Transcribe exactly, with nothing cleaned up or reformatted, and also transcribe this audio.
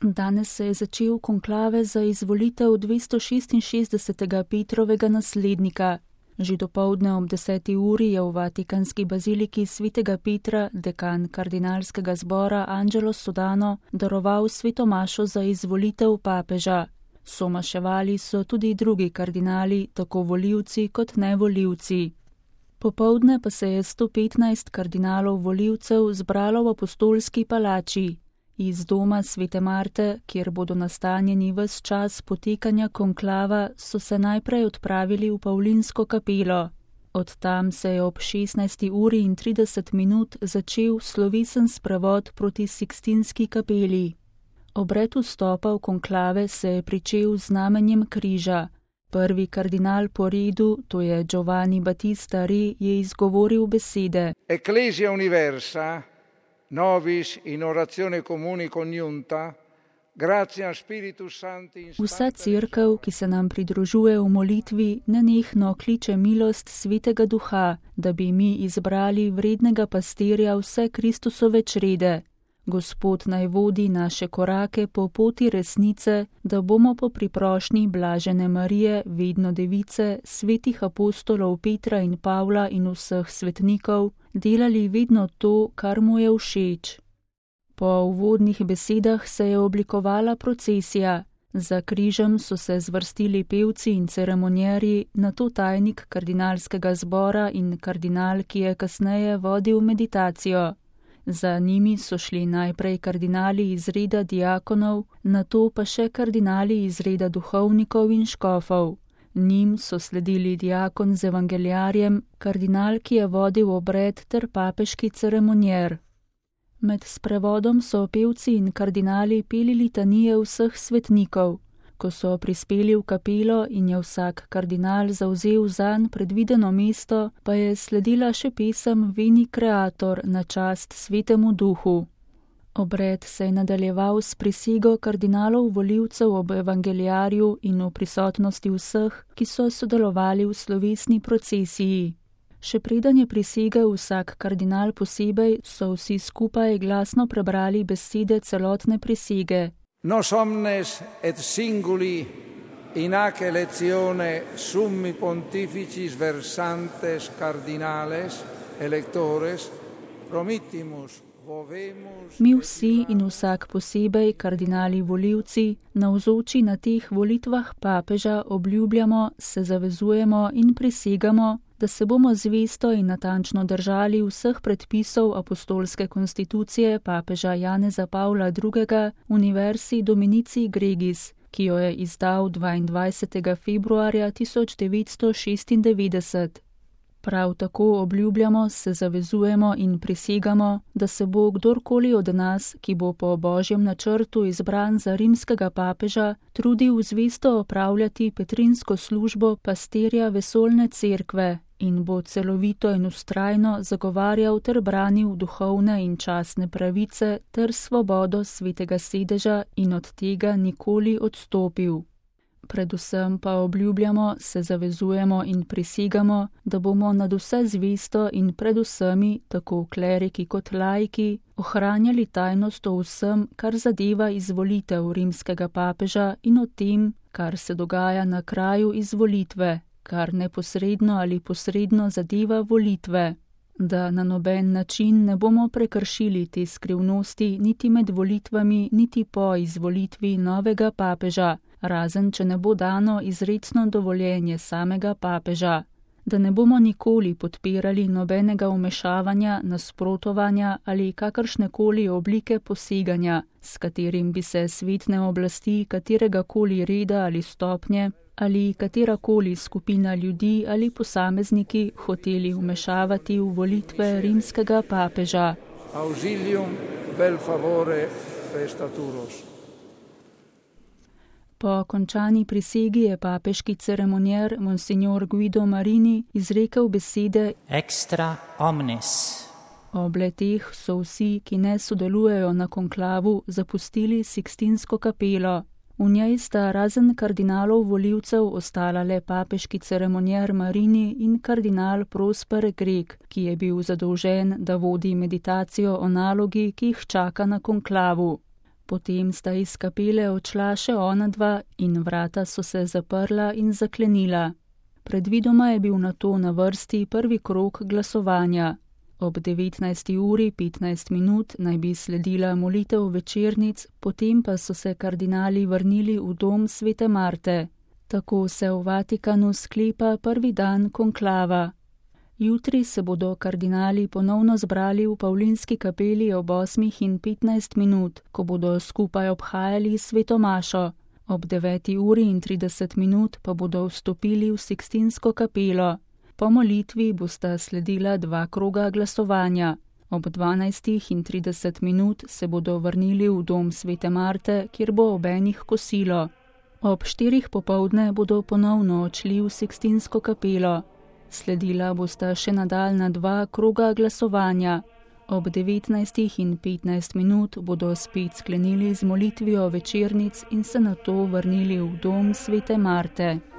Danes se je začel konklave za izvolitev dvestošestinšestdesetega Petrovega naslednika. Že dopoldne ob deseti uri je v Vatikanski baziliki svetega Petra dekan kardinalskega zbora Angelo Sodano daroval sveto mašo za izvolitev papeža. Somaševali so tudi drugi kardinali, tako volivci kot nevolivci. Popoldne pa se je sto petnajst kardinalov volivcev zbralo v apostolski palači. Iz doma svete Marte, kjer bodo nastanjeni ves čas potekanja konklava, so se najprej odpravili v Pavlinsko kapelo. Od tam se je ob šestnajsti uri in trideset minut začel slovesen sprevod proti Sikstinski kapeli. Obred vstopa v konklave se je pričel z znamenjem križa. Prvi kardinal po redu, to je Giovanni Battista Re, je izgovoril besede. Ecclesia universa, novis in orazione comuni conjunta, gratia Spiritus Sancti. Vsa cerkev, ki se nam pridružuje v molitvi, nenehno kliče milost Svetega Duha, da bi mi izbrali vrednega pastirja vse Kristusove črede. Gospod naj vodi naše korake po poti resnice, da bomo po priprošnji blažene Marije, vedno device, svetih apostolov Petra in Pavla in vseh svetnikov, delali vedno to, kar mu je všeč. Po uvodnih besedah se je oblikovala procesija. Za križem so se zvrstili pevci in ceremonjerji, nato tajnik kardinalskega zbora in kardinal, ki je kasneje vodil meditacijo. Za njimi so šli najprej kardinali iz reda diakonov, nato pa še kardinali iz reda duhovnikov in škofov. Njim so sledili diakon z evangeljarjem, kardinal, ki je vodil obred, ter papeški ceremonjer. Med sprevodom so pevci in kardinali peli litanije vseh svetnikov. Ko so prispeli v kapelo in je vsak kardinal zavzel zanj predvideno mesto, pa je sledila še pesem Veni Creator na čast Svetemu Duhu. Obred se je nadaljeval s prisego kardinalov volivcev ob evangeljarju in v prisotnosti vseh, ki so sodelovali v slovesni procesiji. Še preden je prisegel vsak kardinal posebej, so vsi skupaj glasno prebrali besede celotne prisege. Nos omnes et singuli in hac eletione summi pontificis versantes cardinales electores promittimus vovemus. Mi vsi in vsak posebej kardinali volivci, navzoči na teh volitvah papeža obljubljamo, se zavezujemo in prisegamo, da se bomo zvesto in natančno držali vseh predpisov apostolske konstitucije papeža Janeza Pavla drugega Universi Dominici Gregis, ki jo je izdal dvaindvajsetega februarja tisoč devetsto šestindevetdeset. Prav tako obljubljamo, se zavezujemo in prisegamo, da se bo kdorkoli od nas, ki bo po božjem načrtu izbran za rimskega papeža, trudil zvesto opravljati petrinsko službo pastirja vesoljne cerkve in bo celovito in vztrajno zagovarjal ter branil duhovne in častne pravice ter svobodo svetega sedeža in od tega nikoli odstopil. Predvsem pa obljubljamo, se zavezujemo in prisegamo, da bomo nad vse zvesto in pred vsemi, tako kleriki kot laiki, ohranjali tajnost o vsem, kar zadeva izvolitev rimskega papeža in o tem, kar se dogaja na kraju izvolitve, kar neposredno ali posredno zadeva volitve. Da na noben način ne bomo prekršili te skrivnosti niti med volitvami, niti po izvolitvi novega papeža, razen če ne bo dano izrecno dovoljenje samega papeža, da ne bomo nikoli podpirali nobenega vmešavanja, nasprotovanja ali kakršnekoli oblike poseganja, s katerim bi se svetne oblasti kateregakoli reda ali stopnje ali katerakoli skupina ljudi ali posamezniki hoteli vmešavati v volitve rimskega papeža. Auxilium vel favore prestaturos. Po končani prisegi je papeški ceremonjer Monsignor Guido Marini izrekel besede Extra omnes. Ob leteh so vsi, ki ne sodelujejo na konklavu, zapustili Sikstinsko kapelo. V njej sta razen kardinalov volivcev ostala le papeški ceremonjer Marini in kardinal Prosper Greg, ki je bil zadolžen, da vodi meditacijo o nalogi, ki jih čaka na konklavu. Potem sta iz kapele odšla še ona dva in vrata so se zaprla in zaklenila. Predvidoma je bil nato na vrsti prvi krog glasovanja. Ob devetnajsti uri petnajst minut naj bi sledila molitev večernic, potem pa so se kardinali vrnili v dom svete Marte. Tako se v Vatikanu sklepa prvi dan konklava. Jutri se bodo kardinali ponovno zbrali v Pavlinski kapeli ob osmih in petnajst minut, ko bodo skupaj obhajali sveto mašo. Ob deveti uri in trideset minut pa bodo vstopili v Sikstinsko kapelo. Po molitvi bosta sledila dva kroga glasovanja. Ob dvanajstih in trideset minut se bodo vrnili v dom svete Marte, kjer bo ob enih kosilo. Ob štirih popoldne bodo ponovno odšli v Sikstinsko kapelo. Sledila bosta še nadaljnja dva kroga glasovanja. Ob devetnajstih in petnajst minut bodo spet sklenili z molitvijo večernic in se nato vrnili v dom svete Marte.